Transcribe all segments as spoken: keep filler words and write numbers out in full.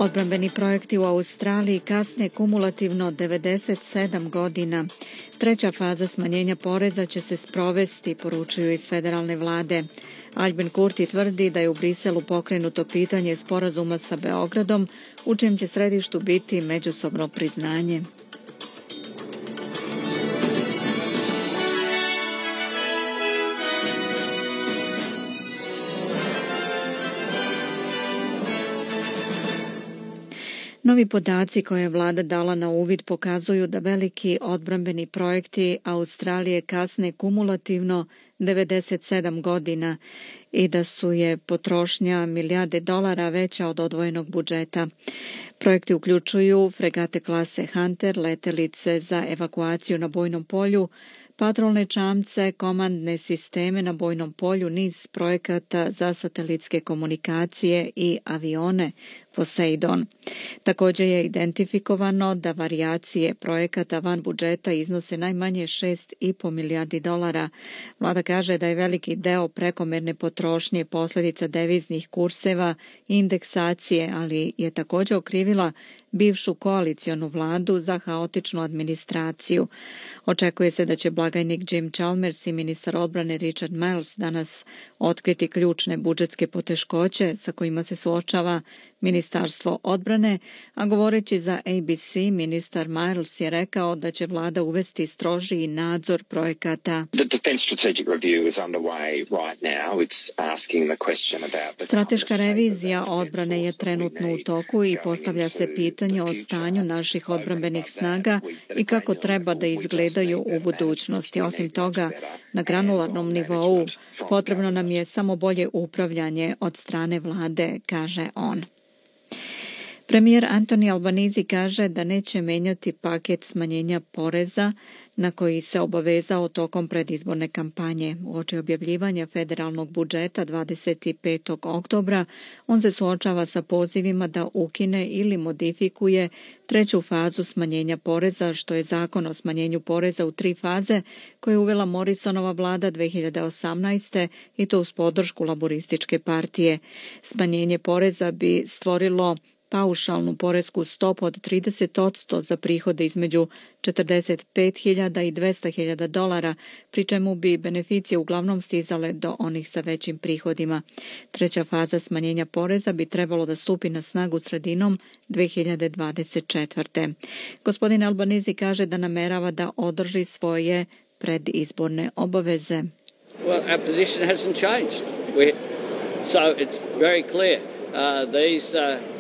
Odbrambeni projekti u Australiji kasne kumulativno devedeset sedam godina. Treća faza smanjenja poreza će se sprovesti, poručuju iz federalne vlade. Albin Kurti tvrdi da je u Briselu pokrenuto pitanje sporazuma sa Beogradom, u čijem će središtu biti međusobno priznanje. Novi podaci koje je vlada dala na uvid pokazuju da veliki odbrambeni projekti Australije kasne kumulativno devedeset sedam godina i da su je potrošnja milijarde dolara veća od odvojenog budžeta. Projekti uključuju fregate klase Hunter, letelice za evakuaciju na bojnom polju, patrolne čamce, komandne sisteme na bojnom polju, niz projekata za satelitske komunikacije i avione Poseidon. Također je identifikovano da varijacije projekata van budžeta iznose najmanje šest i po milijardi dolara. Vlada kaže da je veliki deo prekomerne potrošnje posljedica deviznih kurseva i indeksacije, ali je također okrivila bivšu koalicionu vladu za haotičnu administraciju. Očekuje se da će blagajnik Jim Chalmers i ministar odbrane Richard Marles danas otkriti ključne budžetske poteškoće sa kojima se suočava Ministarstvo odbrane, a govoreći za A B C, ministar Marles je rekao da će vlada uvesti strožiji nadzor projekata. Strateška revizija odbrane je trenutno u toku i postavlja se pitanje o stanju naših odbrambenih snaga i kako treba da izgledaju u budućnosti. Osim toga, na granularnom nivou potrebno nam je samo bolje upravljanje od strane vlade, kaže on. Premijer Anthony Albanese kaže da neće menjati paket smanjenja poreza na koji se obavezao tokom predizborne kampanje. Uoči objavljivanja federalnog budžeta dvadeset petog oktobra on se suočava sa pozivima da ukine ili modifikuje treću fazu smanjenja poreza, što je zakon o smanjenju poreza u tri faze koje je uvela Morrisonova vlada dve hiljade osamnaeste. i to uz podršku laborističke partije. Smanjenje poreza bi stvorilo paušalnu poresku stopu od trideset odsto za prihode između četrdeset pet hiljada i dvesta hiljada dolara, pri čemu bi beneficije uglavnom stizale do onih sa većim prihodima. Treća faza smanjenja poreza bi trebalo da stupi na snagu sredinom dve hiljade dvadeset četvrte. Gospodin Albanese kaže da namerava da održi svoje predizborne obaveze. Well, our position hasn't changed. We, so it's very clear. Uh, these uh...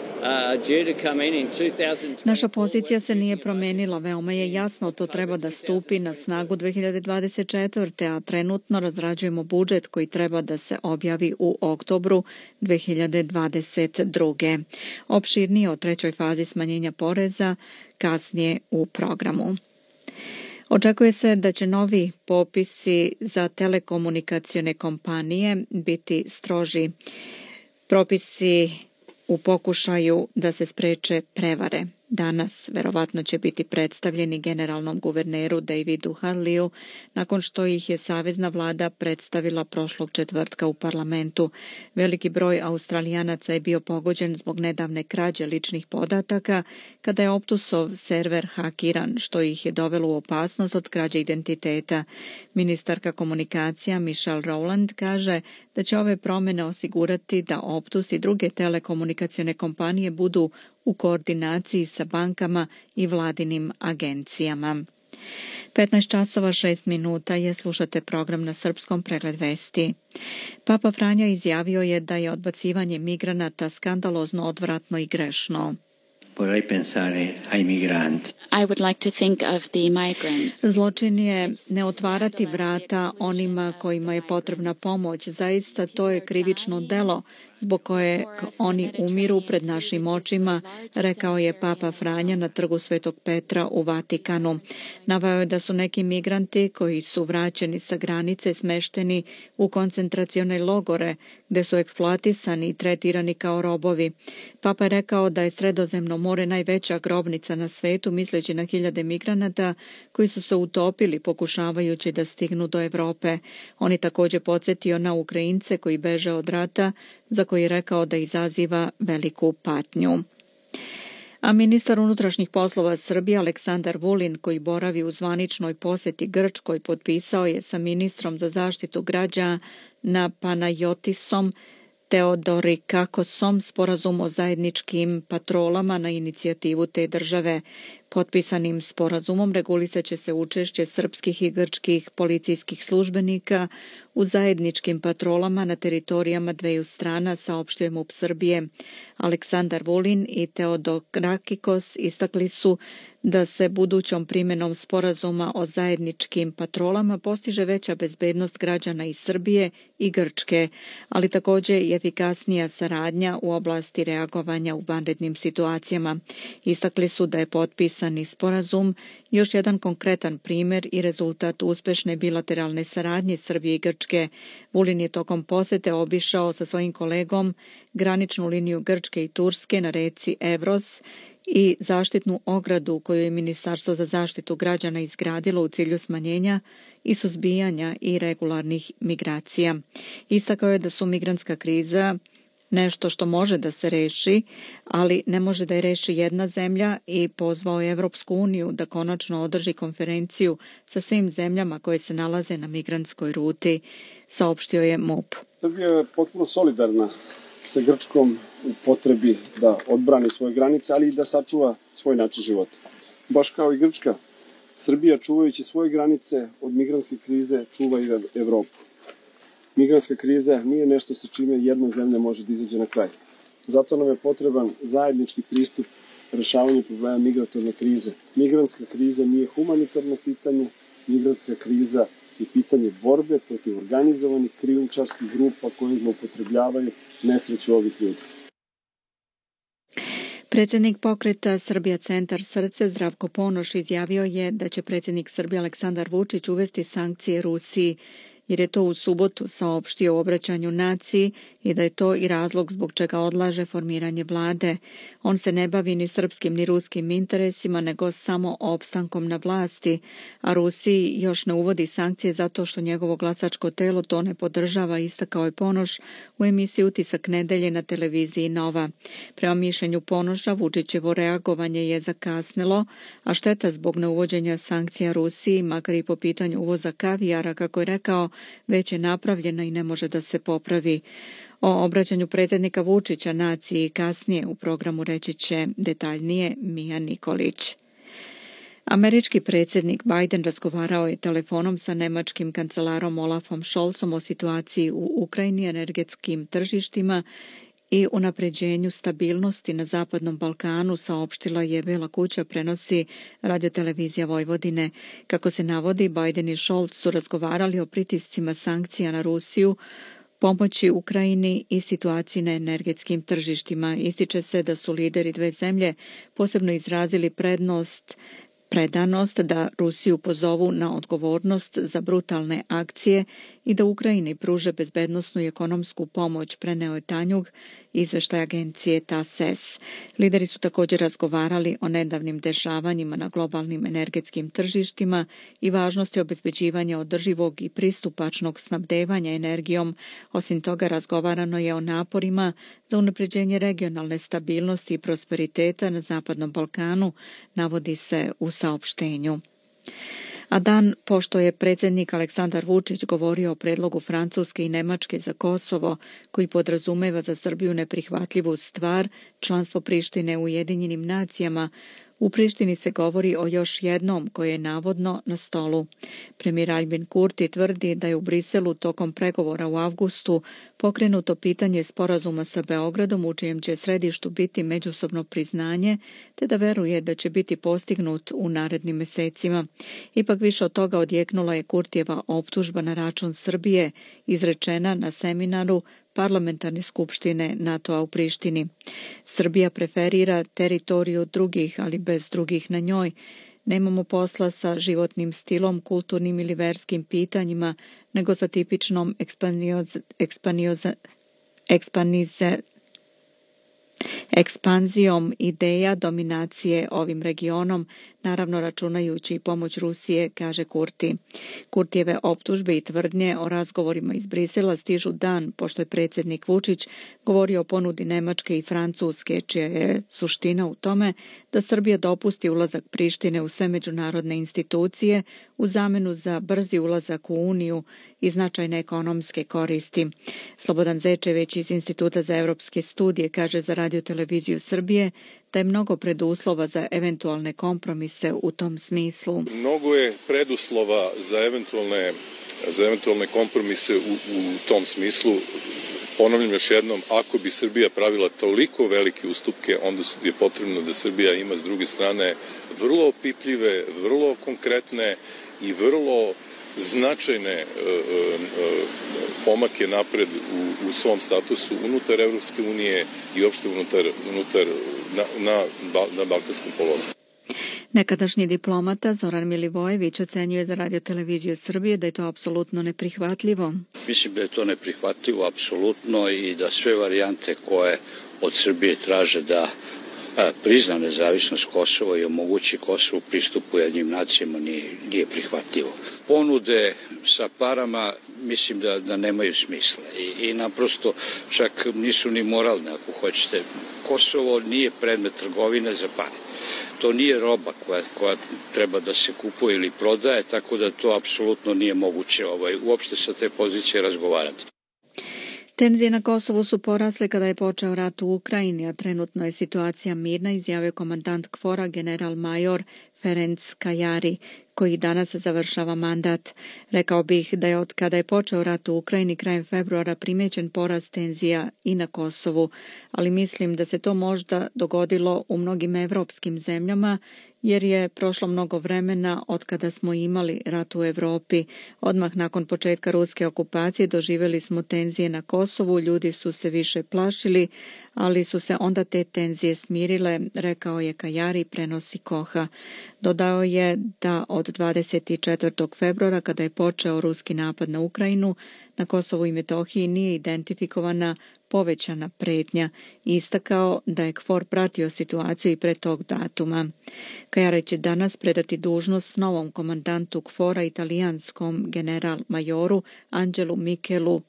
Naša pozicija se nije promenila, veoma je jasno, to treba da stupi na snagu dve hiljade dvadeset četvrte. a trenutno razrađujemo budžet koji treba da se objavi u oktobru dve hiljade dvadeset druge. Opširnije o trećoj fazi smanjenja poreza kasnije u programu. Očekuje se da će novi popisi za telekomunikacione kompanije biti stroži. Propisi u pokušaju da se spreče prevare. Danas verovatno će biti predstavljeni generalnom guverneru Davidu Harleyu nakon što ih je savezna vlada predstavila prošlog četvrtka u parlamentu. Veliki broj Australijanaca je bio pogođen zbog nedavne krađe ličnih podataka kada je Optusov server hakiran, što ih je dovelo u opasnost od krađe identiteta. Ministarka komunikacija Michelle Rowland kaže da će ove promjene osigurati da Optus i druge telekomunikacione kompanije budu u koordinaciji sa bankama i vladinim agencijama. petnaest časova šest minuta je, slušate program na srpskom, pregled vesti. Papa Franja izjavio je da je odbacivanje migranata skandalozno, odvratno i grešno. Vorrei pensare ai migranti. I would like to think of the migrants. Zločin je ne otvarati vrata onima kojima je potrebna pomoć. Zaista to je krivično delo zbog koje oni umiru pred našim očima, rekao je Papa Franja na trgu Svetog Petra u Vatikanu. Naveo je da su neki migranti koji su vraćeni sa granice smešteni u koncentracione logore gde su eksploatisani i tretirani kao robovi. Papa je rekao da je Sredozemno more najveća grobnica na svetu, misleći na hiljade migranata koji su se utopili pokušavajući da stignu do Evrope. On je također podsjetio na Ukrajince koji beže od rata, za koji je rekao da izaziva veliku patnju. A ministar unutrašnjih poslova Srbije Aleksandar Vulin, koji boravi u zvaničnoj poseti Grčkoj, potpisao je sa ministrom za zaštitu građana Panayotisom Teodorikakosom sporazum o zajedničkim patrolama na inicijativu te države. Potpisanim sporazumom regulisat će se učešće srpskih i grčkih policijskih službenika u zajedničkim patrolama na teritorijama dveju strana, saopštuje MUP Srbije. Aleksandar Vulin i Teodorakikos istakli su da se budućom primjenom sporazuma o zajedničkim patrolama postiže veća bezbednost građana iz Srbije i Grčke, ali također i efikasnija saradnja u oblasti reagovanja u vanrednim situacijama. Istakli su da je potpisani sporazum još jedan konkretan primjer i rezultat uspešne bilateralne saradnje Srbije i Grčke. Vulin je tokom posete obišao sa svojim kolegom graničnu liniju Grčke i Turske na reci Evros i zaštitnu ogradu koju je Ministarstvo za zaštitu građana izgradilo u cilju smanjenja i suzbijanja irregularnih migracija. Istakao je da su migrantska kriza nešto što može da se reši, ali ne može da je reši jedna zemlja i pozvao je Evropsku uniju da konačno održi konferenciju sa svim zemljama koje se nalaze na migrantskoj ruti, saopštio je MUP. Srbija je potpuno solidarna sa Grčkom u potrebi da odbrani svoje granice, ali i da sačuva svoj način života. Baš kao i Grčka, Srbija čuvajući svoje granice od migrantske krize čuva i Evropu. Migrantska kriza nije nešto sa čime jedna zemlja može da izađe na kraj. Zato nam je potreban zajednički pristup rešavanju problema migratorne krize. Migrantska kriza nije humanitarno pitanje, migrantska kriza je pitanje borbe protiv organizovanih krijumčarskih grupa koje zloupotrebljavaju nesreću ovih ljudi. Predsjednik pokreta Srbija Centar Srce Zdravko Ponoš izjavio je da će predsjednik Srbije Aleksandar Vučić uvesti sankcije Rusiji, jer je to u subotu saopštio u obraćanju naciji i da je to i razlog zbog čega odlaže formiranje vlade. On se ne bavi ni srpskim ni ruskim interesima, nego samo opstankom na vlasti, a Rusiji još ne uvodi sankcije zato što njegovo glasačko telo to ne podržava, istakao je Ponoš u emisiji Utisak nedelje na televiziji Nova. Prema mišljenju Ponoša, Vučićevo reagovanje je zakasnilo, a šteta zbog neuvođenja sankcija Rusiji, makar i po pitanju uvoza kavijara, kako je rekao, već je napravljena i ne može da se popravi. O obraćanju predsjednika Vučića naciji kasnije u programu reći će detaljnije Mija Nikolić. Američki predsjednik Biden razgovarao je telefonom sa nemačkim kancelarom Olafom Scholzom o situaciji u Ukrajini, energetskim tržištima i unapređenju stabilnosti na Zapadnom Balkanu, saopštila je Bela kuća, prenosi radiotelevizija Vojvodine. Kako se navodi, Biden i Scholz su razgovarali o pritiscima sankcija na Rusiju, pomoći Ukrajini i situaciji na energetskim tržištima. Ističe se da su lideri dve zemlje posebno izrazili prednost predanost da Rusiju pozovu na odgovornost za brutalne akcije i da Ukrajini pruže bezbednosnu i ekonomsku pomoć, preneo je Tanjug, izveštaj agencije T A S E S. Lideri su također razgovarali o nedavnim dešavanjima na globalnim energetskim tržištima i važnosti obezbeđivanja održivog i pristupačnog snabdevanja energijom. Osim toga, razgovarano je o naporima za unapređenje regionalne stabilnosti i prosperiteta na Zapadnom Balkanu, navodi se u saopštenju. A dan pošto je predsjednik Aleksandar Vučić govorio o predlogu Francuske i Nemačke za Kosovo, koji podrazumeva za Srbiju neprihvatljivu stvar, članstvo Prištine u Ujedinjenim nacijama, u Prištini se govori o još jednom koje je navodno na stolu. Premijer Albin Kurti tvrdi da je u Briselu tokom pregovora u avgustu pokrenuto pitanje sporazuma sa Beogradom u čijem će središtu biti međusobno priznanje, te da veruje da će biti postignut u narednim mesecima. Ipak više od toga odjeknula je Kurtijeva optužba na račun Srbije, izrečena na seminaru Parlamentarne skupštine NATO-a u Prištini. Srbija preferira teritoriju drugih, ali bez drugih na njoj. Nemamo posla sa životnim stilom, kulturnim ili verskim pitanjima, nego sa tipičnom ekspanioz, ekspanioz, ekspanize, ekspanzijom ideja dominacije ovim regionom, naravno računajući i pomoć Rusije, kaže Kurti. Kurtijeve optužbe i tvrdnje o razgovorima iz Brisela stižu dan pošto je predsjednik Vučić govorio o ponudi Nemačke i Francuske, čija je suština u tome da Srbija dopusti ulazak Prištine u sve međunarodne institucije u zamenu za brzi ulazak u Uniju i značajne ekonomske koristi. Slobodan Zečević iz Instituta za evropske studije kaže za Radio-televiziju Srbije da je mnogo preduslova za eventualne kompromise u tom smislu. Mnogo je preduslova za eventualne, za eventualne kompromise u, u tom smislu. Ponavljam još jednom, ako bi Srbija pravila toliko velike ustupke, onda je potrebno da Srbija ima s druge strane vrlo opipljive, vrlo konkretne i vrlo značajne e, e, pomake napred u, u svom statusu unutar Evropske unije i uopšte unutar, unutar na, na, na Balkanskom poluostrvu. Nekadašnji diplomata Zoran Milivojević ocenjuje za Radio-televiziju Srbije da je to apsolutno neprihvatljivo. Mislim da je to neprihvatljivo apsolutno i da sve varijante koje od Srbije traže da prizna nezavisnost Kosova i omogući Kosovu pristupu jednim nacijama nije, nije prihvatljivo. Ponude sa parama mislim da, da nemaju smisla i, i naprosto čak nisu ni moralne ako hoćete. Kosovo nije predmet trgovine za pare. To nije roba koja, koja treba da se kupuje ili prodaje, tako da to apsolutno nije moguće ovaj, uopšte sa te pozicije razgovarati. Tenzije na Kosovu su porasle kada je počeo rat u Ukrajini, a trenutno je situacija mirna, izjavio komandant KFOR-a general major Ferenc Kajari, koji danas završava mandat. Rekao bih da je od kada je počeo rat u Ukrajini krajem februara primećen porast tenzija i na Kosovu, ali mislim da se to možda dogodilo u mnogim evropskim zemljama, jer je prošlo mnogo vremena od kada smo imali rat u Evropi. Odmah nakon početka ruske okupacije doživjeli smo tenzije na Kosovu, ljudi su se više plašili, ali su se onda te tenzije smirile, rekao je Kajari, prenosi Koha. Dodao je da od dvadeset četvrtog februara, kada je počeo ruski napad na Ukrajinu, na Kosovu i Metohiji nije identifikovana povećana pretnja i istakao da je KFOR pratio situaciju i pre tog datuma. Kajari će danas predati dužnost novom komandantu KFOR-a, italijanskom general majoru Anđelu Mikelu.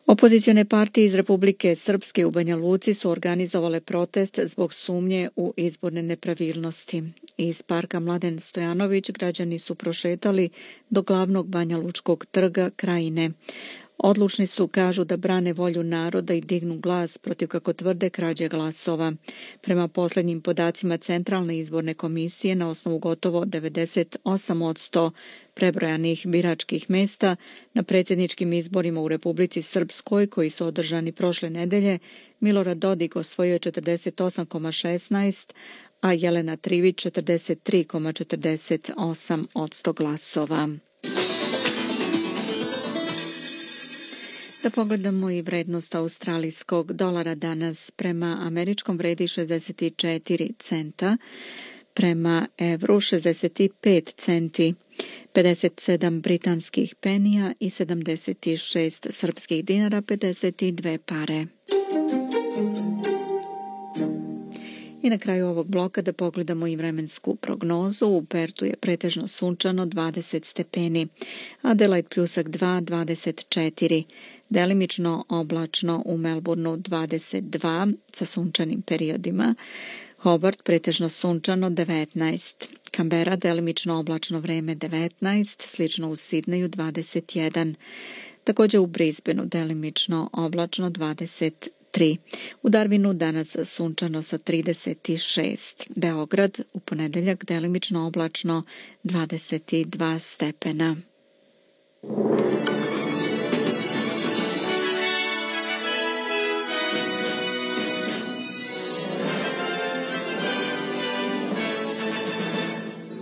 Opozicione partije iz Republike Srpske u Banja Luci su organizovale protest zbog sumnje u izborne nepravilnosti. Iz parka Mladen Stojanović građani su prošetali do glavnog Banja Lučkog trga Krajine. Odlučni su, kažu, da brane volju naroda i dignu glas protiv, kako tvrde, krađe glasova. Prema posljednjim podacima Centralne izborne komisije, na osnovu gotovo devedeset osam posto prebrojanih biračkih mesta na predsjedničkim izborima u Republici Srpskoj, koji su održani prošle nedelje, Milorad Dodik osvojio četrdeset osam zarez šesnaest, a Jelena Trivić četrdeset tri zarez četrdeset osam posto glasova. Da pogledamo i vrednost australijskog dolara danas. Prema američkom vredi šezdeset četiri centa, prema evru šezdeset pet centi, pedeset sedam britanskih penija i sedamdeset šest srpskih dinara, pedeset dve pare. I na kraju ovog bloka da pogledamo i vremensku prognozu. U Pertu je pretežno sunčano dvadeset stepeni, Adelaide pljusak dva, dvadeset četiri, delimično oblačno u Melbourneu dvadeset dva sa sunčanim periodima, Hobart pretežno sunčano devetnaest, Canberra delimično oblačno vreme devetnaest, slično u Sidneju dvadeset jedan, također u Brisbaneu delimično oblačno dvadeset tri. U Darwinu danas sunčano sa trideset šest. Beograd u ponedeljak delimično oblačno dvadeset dva stepena.